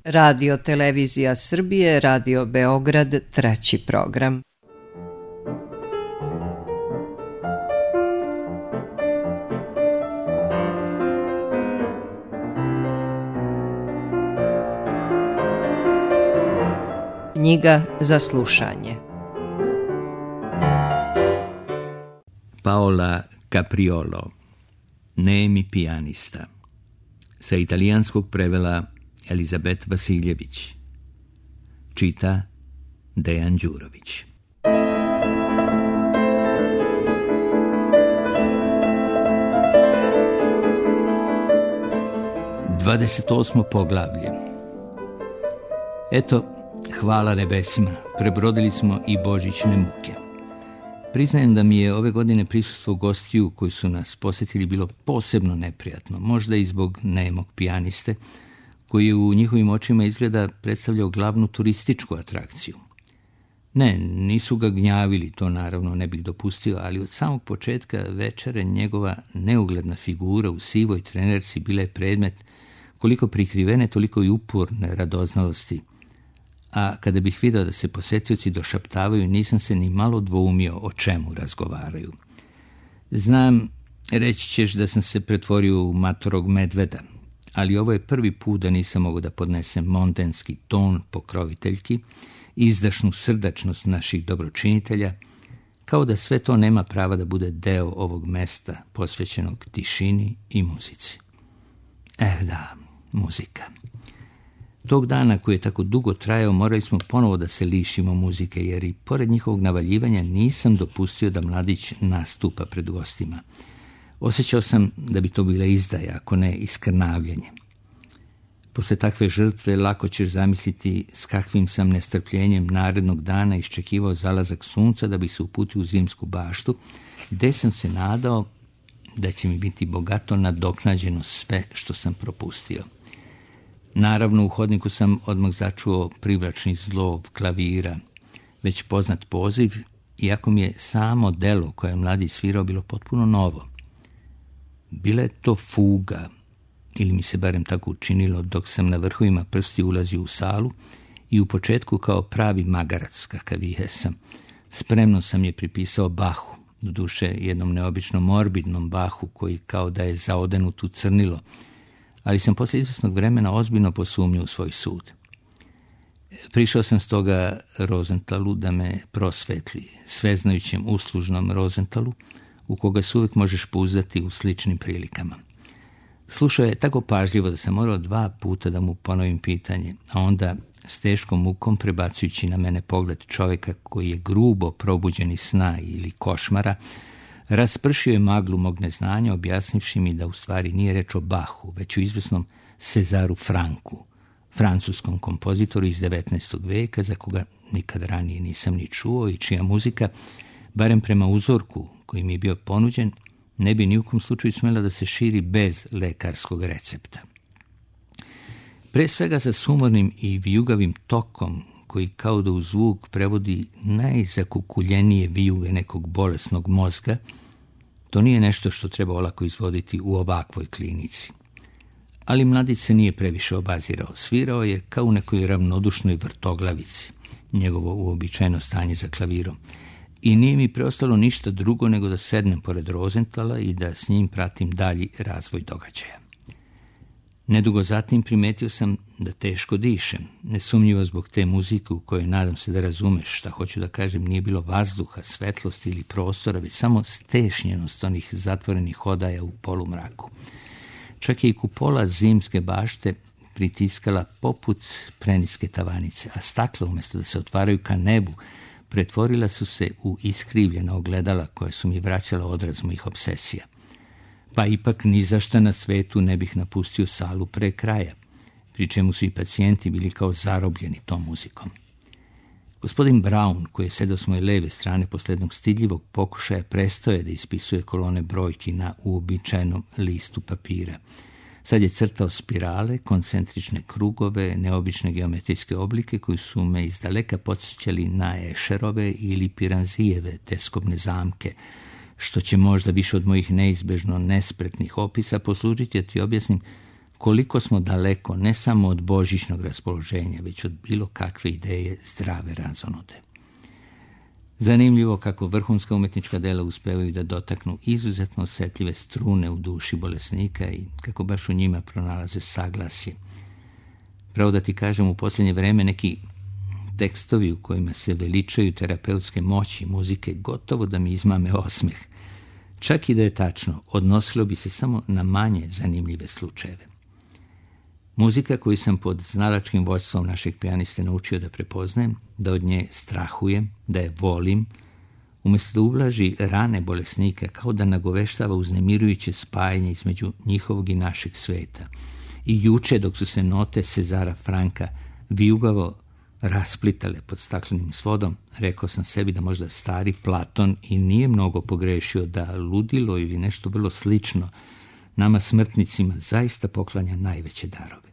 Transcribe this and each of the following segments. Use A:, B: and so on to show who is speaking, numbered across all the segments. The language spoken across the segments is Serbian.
A: Radio Televizija Srbije, Radio Beograd, treći program. Knjiga za slušanje.
B: Paola Capriolo, Nemi pijanista. Sa italijanskog prevela Elizabet Vasiljević. Čita Dejan Đurović. 28. poglavlje. Eto, hvala nebesima, prebrodili smo i božićne muke. Priznajem da mi je ove godine prisustvo gostiju koji su nas posjetili bilo posebno neprijatno, možda i zbog nemog pijaniste, koji je u njihovim očima izgleda predstavljao glavnu turističku atrakciju. Ne, nisu ga gnjavili, to naravno ne bih dopustio, ali od samog početka večere njegova neugledna figura u sivoj trenerci bila je predmet koliko prikrivene, toliko i uporne radoznalosti. A kada bih vidio da se posjetioci došaptavaju, nisam se ni malo dvoumio o čemu razgovaraju. Znam, reći ćeš da sam se pretvorio u matorog medveda, ali ovo je prvi put da nisam mogao da podnesem montenski ton pokroviteljki, izdašnu srdačnost naših dobročinitelja, kao da sve to nema prava da bude deo ovog mesta posvećenog tišini i muzici. Da, muzika. Tog dana koji je tako dugo trajao morali smo ponovo da se lišimo muzike, jer i pored njihovog navaljivanja nisam dopustio da mladić nastupa pred gostima. Osjećao sam da bi to bila izdaja, ako ne iskrnavljanje. Posle takve žrtve lako ćeš zamisliti s kakvim sam nestrpljenjem narednog dana iščekivao zalazak sunca da bih se uputio u zimsku baštu, gde sam se nadao da će mi biti bogato nadoknađeno sve što sam propustio. Naravno, u hodniku sam odmah začuo privlačni zlov klavira, već poznat poziv, iako mi je samo delo koje je mladi svirao bilo potpuno novo. Bila je to fuga, ili mi se barem tako učinilo dok sam na vrhovima prsti ulazio u salu i u početku kao pravi magarac, kakav i jesam. Spremno sam je pripisao Bachu, doduše jednom neobično morbidnom Bachu koji kao da je zaodenut u crnilo, ali sam posle izvesnog vremena ozbiljno posumnio u svoj sud. Prišao sam stoga Rozenthalu da me prosvetli, sveznajućem uslužnom Rozenthalu, u koga se uvijek možeš pouzdati u sličnim prilikama. Slušao je tako pažljivo da sam morao 2 puta da mu ponovim pitanje, a onda s teškom mukom prebacujući na mene pogled čovjeka koji je grubo probuđen iz sna ili košmara, raspršio je maglu mog neznanja, objasnivši mi da u stvari nije reč o Bachu, već o izvesnom Cezaru Franku, francuskom kompozitoru iz 19. veka, za koga nikad ranije nisam ni čuo i čija muzika, barem prema uzorku koji mi je bio ponuđen, ne bi ni u kom slučaju smjela da se širi bez lekarskog recepta. Pre svega sa sumornim i vijugavim tokom, koji kao da u zvuk prevodi najzakukuljenije vijuge nekog bolesnog mozga, to nije nešto što treba olako izvoditi u ovakvoj klinici. Ali mladić se nije previše obazirao, svirao je kao u nekoj ravnodušnoj vrtoglavici, njegovo uobičajeno stanje za klavirom, i nije mi preostalo ništa drugo nego da sednem pored Rosenthala i da s njim pratim dalji razvoj događaja. Nedugo zatim primetio sam da teško dišem, nesumnjivo zbog te muzike u kojoj nadam se da razumeš šta hoću da kažem, nije bilo vazduha, svetlosti ili prostora, već samo stešnjenost onih zatvorenih odaja u polumraku. Čak je i kupola zimske bašte pritiskala poput preniske tavanice, a stakla umjesto da se otvaraju ka nebu, pretvorila su se u iskrivljena ogledala koja su mi vraćala odraz mojih obsesija. Pa ipak ni za šta na svetu ne bih napustio salu pre kraja, pri čemu su i pacijenti bili kao zarobljeni tom muzikom. Gospodin Brown, koji je sedao s moje leve strane posle jednog stidljivog pokušaja, prestao je da ispisuje kolone brojki na uobičajenom listu papira. Sad je crtao spirale, koncentrične krugove, neobične geometrijske oblike koji su me izdaleka podsjećali na Escherove ili Piranzijeve teskobne zamke, što će možda više od mojih neizbežno nespretnih opisa poslužiti da ti objasnim koliko smo daleko ne samo od božićnog raspoloženja, već od bilo kakve ideje zdrave razonude. Zanimljivo kako vrhunska umetnička dela uspevaju da dotaknu izuzetno osjetljive strune u duši bolesnika i kako baš u njima pronalaze saglasje. Pravo da ti kažem, u posljednje vreme neki tekstovi u kojima se veličaju terapeutske moći muzike gotovo da mi izmame osmeh. Čak i da je tačno, odnosilo bi se samo na manje zanimljive slučajeve. Muzika koju sam pod znalačkim vodstvom našeg pijaniste naučio da prepoznajem, da od nje strahujem, da je volim, umjesto da ublaži rane bolesnika, kao da nagoveštava uznemirujuće spajanje između njihovog i našeg sveta. I juče, dok su se note Cezara Franka vijugavo rasplitale pod staklenim svodom, rekao sam sebi da možda stari Platon i nije mnogo pogrešio, da ludilo ili nešto vrlo slično nama smrtnicima zaista poklanja najveće darove.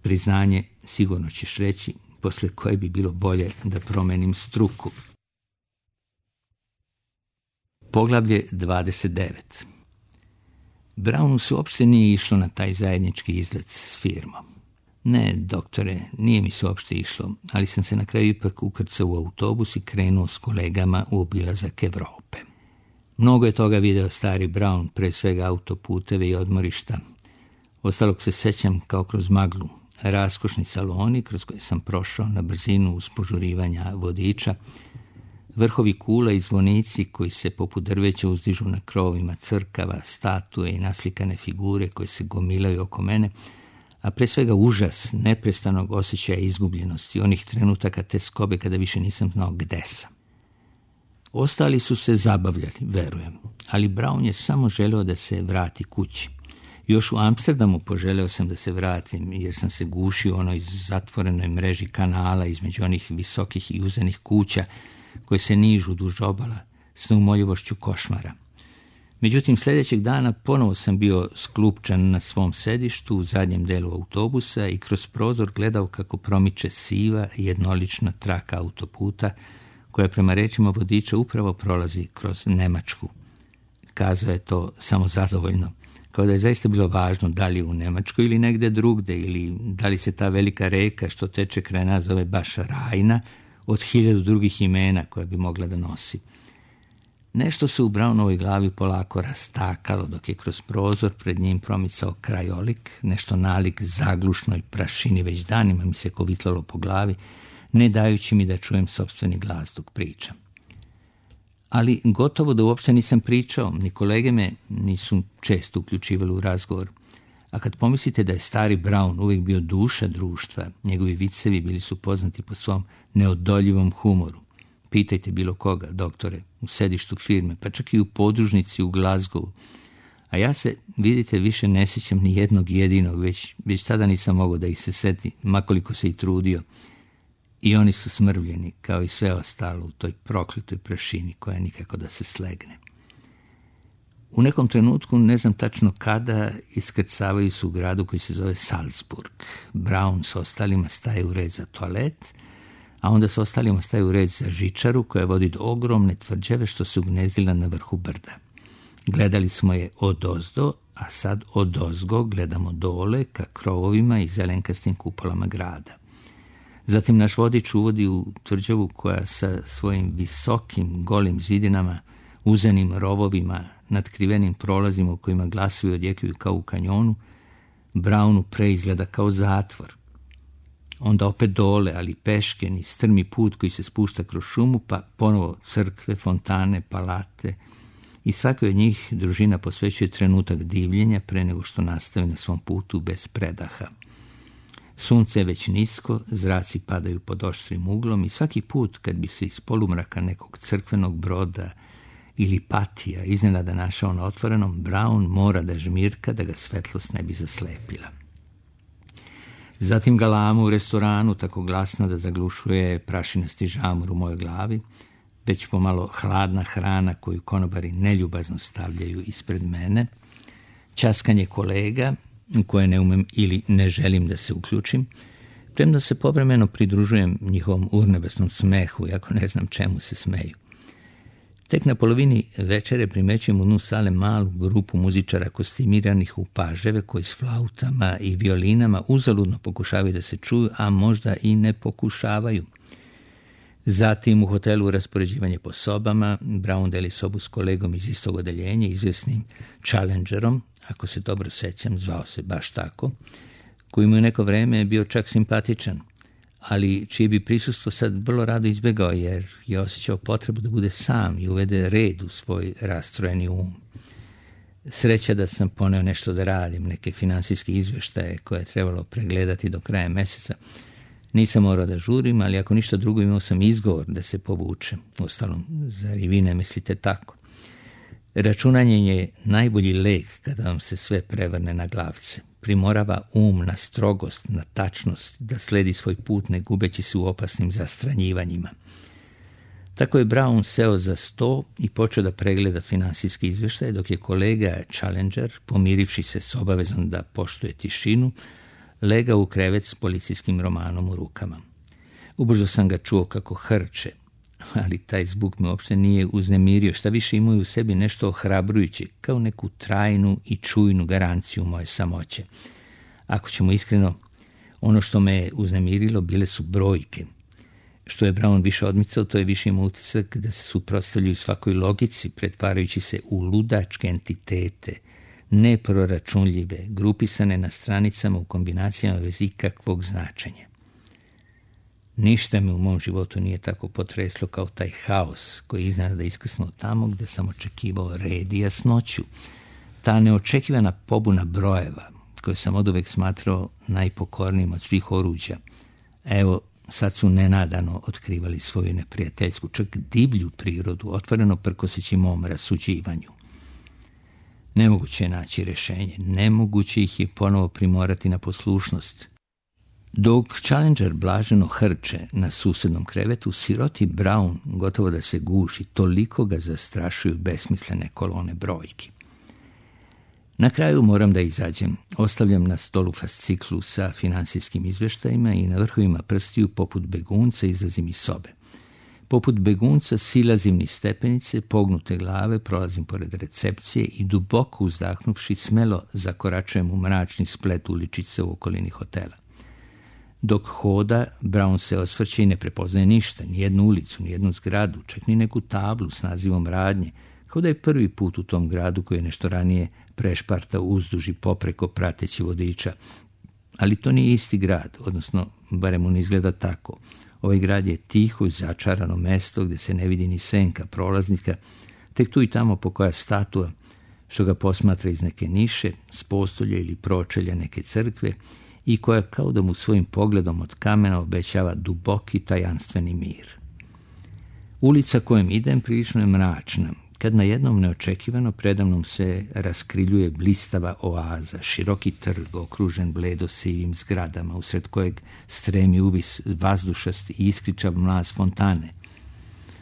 B: Priznanje, sigurno ćeš reći, posle koje bi bilo bolje da promenim struku. Poglavlje 29. Brownu se uopšte nije išlo na taj zajednički izlet s firmom. Ne, doktore, nije mi se uopšte išlo, ali sam se na kraju ipak ukrcao u autobus i krenuo s kolegama u obilazak Evrope. Mnogo je toga video stari Brown, pre svega autoputeve i odmorišta. Ostalog se sećam kao kroz maglu. Raskošni saloni kroz koje sam prošao na brzinu uz požurivanja vodiča, vrhovi kula i zvonici koji se poput drveća uzdižu na krovovima crkava, statue i naslikane figure koje se gomilaju oko mene, a pre svega užas neprestanog osjećaja izgubljenosti, onih trenutaka te skobe kada više nisam znao gde sam. Ostali su se zabavljali, verujem, ali Brown je samo želeo da se vrati kući. Još u Amsterdamu poželeo sam da se vratim, jer sam se gušio u onoj zatvorenoj mreži kanala između onih visokih i uzenih kuća koje se nižu duž obala s neumoljivošću košmara. Međutim, sljedećeg dana ponovo sam bio sklupčan na svom sedištu u zadnjem delu autobusa i kroz prozor gledao kako promiče siva i jednolična traka autoputa koja prema rečima vodiča upravo prolazi kroz Nemačku. Kazao je to samo zadovoljno, kao da je zaista bilo važno da li u Nemačkoj ili negde drugde, ili da li se ta velika reka što teče kraj nas zove baš Rajna od 1000 drugih imena koja bi mogla da nosi. Nešto se u Brownovoj glavi polako rastakalo dok je kroz prozor pred njim promicao krajolik, nešto nalik zaglušnoj prašini već danima mi se kovitlalo po glavi, ne dajući mi da čujem sopstveni glas dok pričam. Ali gotovo da uopšte nisam pričao, ni kolege me nisu često uključivali u razgovor. A kad pomislite da je stari Brown uvijek bio duša društva, njegovi vicevi bili su poznati po svom neodoljivom humoru. Pitajte bilo koga, doktore, u sedištu firme, pa čak i u podružnici u Glasgowu. A ja se, vidite, više ne sjećam ni jednog jedinog, već tada nisam mogao da ih se seti, makoliko se i trudio. I oni su smrvljeni, kao i sve ostalo u toj prokletoj prašini koja nikako da se slegne. U nekom trenutku, ne znam tačno kada, iskrcavaju se u gradu koji se zove Salzburg. Brown s ostalima staje u red za toalet, a onda s ostalima staje u red za žičaru koja vodi do ogromne tvrđave što se ugnezdila na vrhu brda. Gledali smo je odozdo, a sad odozgo gledamo dole ka krovovima i zelenkastim kupolama grada. Zatim naš vodič uvodi u tvrđavu koja sa svojim visokim golim zidinama, uzenim rovovima, nadkrivenim prolazima u kojima glasovi odjekuju kao u kanjonu, Brownu preizgleda kao zatvor. Onda opet dole, ali peške, niz strmi put koji se spušta kroz šumu, pa ponovo crkve, fontane, palate i svakoj od njih družina posvećuje trenutak divljenja pre nego što nastavi na svom putu bez predaha. Sunce je već nisko, zraci padaju pod oštrim uglom i svaki put kad bi se iz polumraka nekog crkvenog broda ili patija iznenada našao na otvorenom, Brown mora da žmirka da ga svetlost ne bi zaslepila. Zatim galama u restoranu, tako glasna da zaglušuje prašinasti žamor u mojoj glavi, već pomalo hladna hrana koju konobari neljubazno stavljaju ispred mene, ćaskanje kolega u koje ne umem ili ne želim da se uključim, premda se povremeno pridružujem njihovom urnebesnom smehu, iako ne znam čemu se smeju. Tek na polovini večere primećujem u dnu sale malu grupu muzičara kostimiranih u paževe koji s flautama i violinama uzaludno pokušavaju da se čuju, a možda i ne pokušavaju. Zatim u hotelu raspoređivanje po sobama. Brown deli sobu s kolegom iz istog odeljenja, izvjesnim Challengerom, ako se dobro sećam, zvao se baš tako, koji mu je neko vreme bio čak simpatičan, ali čije bi prisustvo sad vrlo rado izbjegao jer je osjećao potrebu da bude sam i uvede red u svoj rastrojeni um. Sreća da sam poneo nešto da radim, neke finansijske izvještaje koje je trebalo pregledati do kraja mjeseca. Nisam morao da žurim, ali ako ništa drugo imao sam izgovor da se povučem. Uostalom, zar i vi ne mislite tako? Računanje je najbolji lek kada vam se sve prevrne na glavce. Primorava na strogost, na tačnost, da sledi svoj put ne gubeći se u opasnim zastranjivanjima. Tako je Brown seo za sto i počeo da pregleda finansijski izvještaj, dok je kolega Challenger, pomirivši se s obavezom da poštuje tišinu, legao u krevet s policijskim romanom u rukama. Ubrzo sam ga čuo kako hrče, ali taj zvuk me uopšte nije uznemirio, šta više imao u sebi nešto ohrabrujuće, kao neku trajnu i čujnu garanciju moje samoće. Ako ćemo iskreno, ono što me je uznemirilo bile su brojke. Što je Brown više odmicao, to je više imao utisak da se suprotstavljaju svakoj logici, pretvarajući se u ludačke entitete, neproračunljive, grupisane na stranicama u kombinacijama bez ikakvog značenja. Ništa me u mom životu nije tako potreslo kao taj haos koji je iznenada iskrsnuo tamo gde sam očekivao red i jasnoću. Ta neočekivana pobuna brojeva, koju sam oduvek smatrao najpokornijim od svih oruđa, evo, sad su nenadano otkrivali svoju neprijateljsku, čak divlju prirodu, otvoreno prkoseći mom rasuđivanju. Nemoguće je naći rješenje, nemoguće ih je ponovo primorati na poslušnost. Dok Challenger blaženo hrče na susednom krevetu, siroti Brown gotovo da se guši, toliko ga zastrašuju besmislene kolone brojki. Na kraju moram da izađem. Ostavljam na stolu fasciklu sa finansijskim izvještajima i na vrhovima prstiju poput begunca izlazim iz sobe. Poput begunca silazim niz stepenice, pognute glave, prolazim pored recepcije i duboko uzdahnuvši smelo zakoračujem u mračni splet uličice u okolini hotela. Dok hoda, Brown se osvrće i ne prepoznaje ništa, ni jednu ulicu, ni jednu zgradu, čak ni neku tablu s nazivom radnje, kao da je prvi put u tom gradu koji je nešto ranije prešpartao uzduž i popreko prateći vodiča. Ali to nije isti grad, odnosno barem on izgleda tako. Ovaj grad je tiho i začarano mesto gdje se ne vidi ni senka prolaznika, tek tu i tamo pokoja statua što ga posmatra iz neke niše, s postolja ili pročelja neke crkve i koja kao da mu svojim pogledom od kamena obećava duboki tajanstveni mir. Ulica kojom idem prilično je mračna, kad na jednom neočekivano predamnom se raskriljuje blistava oaza, široki trg okružen bledo sivim zgradama, usred kojeg stremi uvis vazdušast i iskričav mlaz fontane.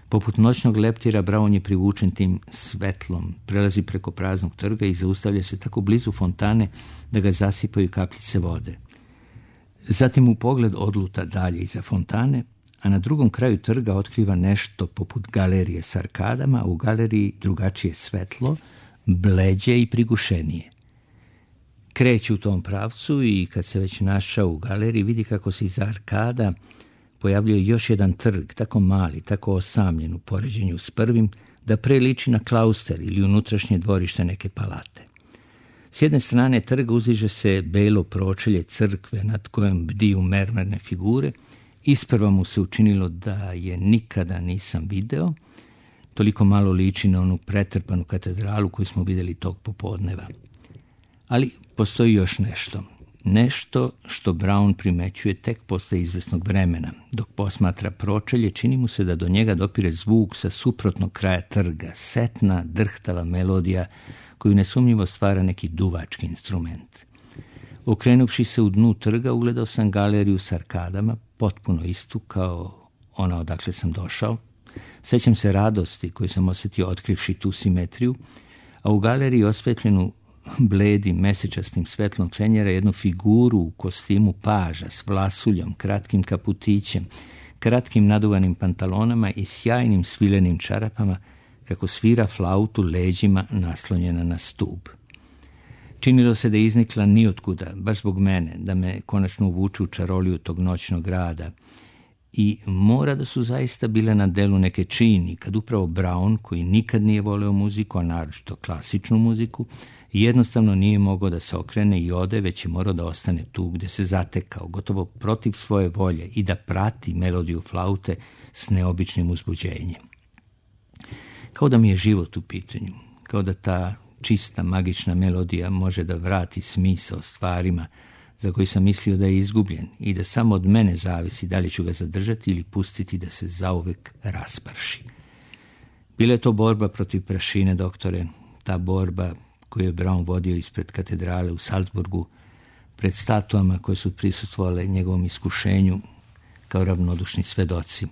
B: Poput noćnog leptira Brown je privučen tim svetlom, prelazi preko praznog trga i zaustavlja se tako blizu fontane da ga zasipaju kapljice vode. Zatim u pogled odluta dalje iza fontane, a na drugom kraju trga otkriva nešto poput galerije s arkadama, a u galeriji drugačije svetlo, bleđe i prigušenije. Kreće u tom pravcu i kad se već našao u galeriji vidi kako se iza arkada pojavljuje još jedan trg, tako mali, tako osamljen u poređenju s prvim, da preliči na klauster ili unutrašnje dvorište neke palate. S jedne strane trga uziže se belo pročelje crkve nad kojom bdiju mermerne figure. Isprva mu se učinilo da je nikada nisam video, toliko malo liči na onu pretrpanu katedralu koju smo vidjeli tog popodneva. Ali postoji još nešto. Nešto što Brown primećuje tek posle izvesnog vremena. Dok posmatra pročelje, čini mu se da do njega dopire zvuk sa suprotnog kraja trga, setna, drhtava melodija koju nesumnjivo stvara neki duvački instrument. Okrenuvši se u dnu trga, ugledao sam galeriju s arkadama, potpuno istu kao ona odakle sam došao. Sećam se radosti koju sam osjetio otkrivši tu simetriju, a u galeriji osvetljenu bledim mesečastim svetlom fenjera jednu figuru u kostimu paža s vlasuljom, kratkim kaputićem, kratkim naduvanim pantalonama i sjajnim svilenim čarapama, kako svira flautu leđima naslonjena na stub. Činilo se da je iznikla nijotkuda, baš zbog mene, da me konačno uvuče u čaroliju tog noćnog grada. I mora da su zaista bile na delu neke čini, kad upravo Brown, koji nikad nije voleo muziku, a naročito klasičnu muziku, jednostavno nije mogao da se okrene i ode, već je morao da ostane tu gde se zatekao, gotovo protiv svoje volje, i da prati melodiju flaute s neobičnim uzbuđenjem. Kao da mi je život u pitanju, kao da ta čista magična melodija može da vrati smisao stvarima za koji sam mislio da je izgubljen i da samo od mene zavisi da li ću ga zadržati ili pustiti da se zauvek rasprši. Bila je to borba protiv prašine, doktore, ta borba koju je Brown vodio ispred katedrale u Salzburgu, pred statuama koje su prisustvovale njegovom iskušenju kao ravnodušni svedoci.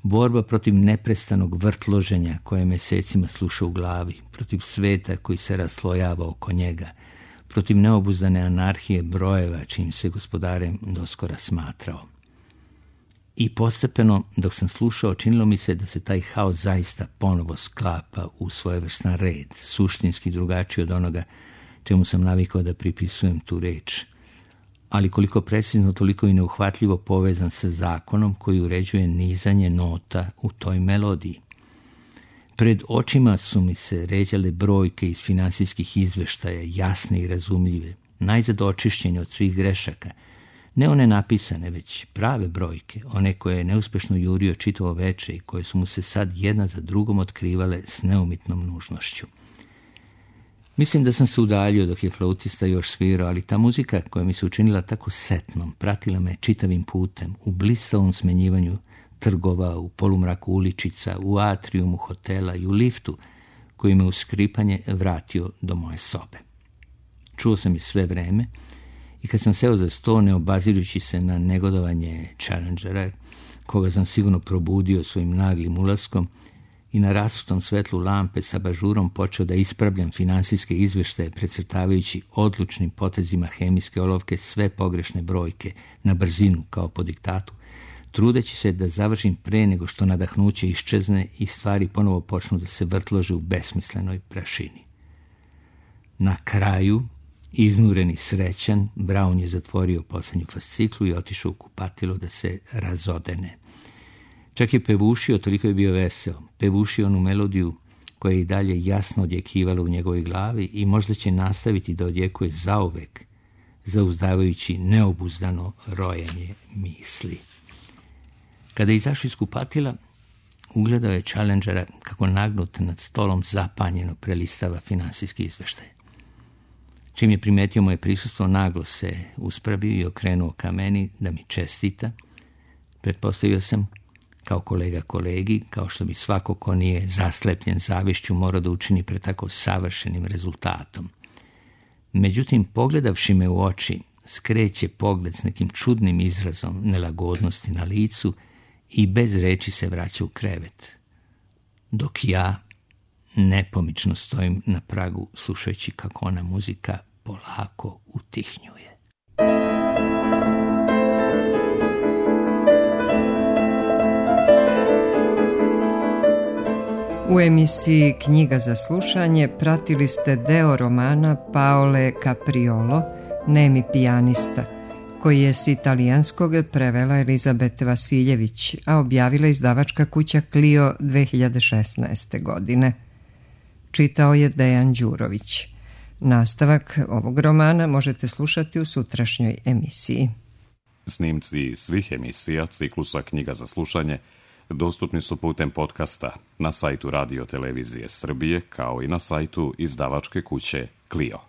B: Borba protiv neprestanog vrtloženja koje mesecima sluša u glavi, protiv sveta koji se raslojava oko njega, protiv neobuzdane anarhije brojeva čim se gospodarem doskora smatrao. I postepeno, dok sam slušao, činilo mi se da se taj haos zaista ponovo sklapa u svojevrstan red, suštinski drugačiji od onoga čemu sam navikao da pripisujem tu reč, ali koliko precizno, toliko i neuhvatljivo povezan sa zakonom koji uređuje nizanje nota u toj melodiji. Pred očima su mi se ređale brojke iz finansijskih izveštaja, jasne i razumljive, najzad očišćene od svih grešaka, ne one napisane, već prave brojke, one koje je neuspešno jurio čitavo veče i koje su mu se sad jedna za drugom otkrivale s neumitnom nužnošću. Mislim da sam se udaljio dok je flautista još svirao, ali ta muzika koja mi se učinila tako setnom, pratila me čitavim putem, u blistavom smenjivanju trgova, u polumraku uličica, u atrijumu hotela i u liftu, koji me uz skripanje vratio do moje sobe. Čuo sam je sve vreme i kad sam seo za sto, ne obazirujući se na negodovanje Challengera, koga sam sigurno probudio svojim naglim ulaskom, i na rasutom svetlu lampe sa bažurom počeo da ispravljam finansijske izveštaje, precrtavajući odlučnim potezima hemijske olovke sve pogrešne brojke na brzinu kao po diktatu, trudeći se da završim pre nego što nadahnuće iščezne i stvari ponovo počnu da se vrtlože u besmislenoj prašini. Na kraju, iznureni srećan, Brown je zatvorio poslednju fasciklu i otišao u kupatilo da se razodene. Čak je pevušio, toliko je bio veseo, pevušio onu melodiju koja je i dalje jasno odjekivala u njegovoj glavi i možda će nastaviti da odjekuje zauvek, zauzdavajući neobuzdano rojenje misli. Kada je izašao iz kupatila, ugledao je Challengera kako nagnut nad stolom zapanjeno prelistava finansijski izveštaj. Čim je primetio moje prisustvo, naglo se uspravio i okrenuo ka meni da mi čestita. Pretpostavio sam, kao kolega kolegi, kao što bi svako ko nije zaslepljen zavišću morao da učini pred tako savršenim rezultatom. Međutim, pogledavši me u oči, skreće pogled s nekim čudnim izrazom nelagodnosti na licu i bez reči se vraća u krevet. Dok ja nepomično stojim na pragu slušajući kako ona muzika polako utihnjuje.
A: U emisiji Knjiga za slušanje pratili ste deo romana Paole Capriolo, Nemi pijanista, koji je s italijanskog prevela Elizabete Vasiljević, a objavila izdavačka kuća Clio 2016. godine. Čitao je Dejan Đurović. Nastavak ovog romana možete slušati u sutrašnjoj emisiji.
C: Snimci svih emisija ciklusa Knjiga za slušanje dostupni su putem podcasta na sajtu Radio Televizije Srbije kao i na sajtu izdavačke kuće Clio.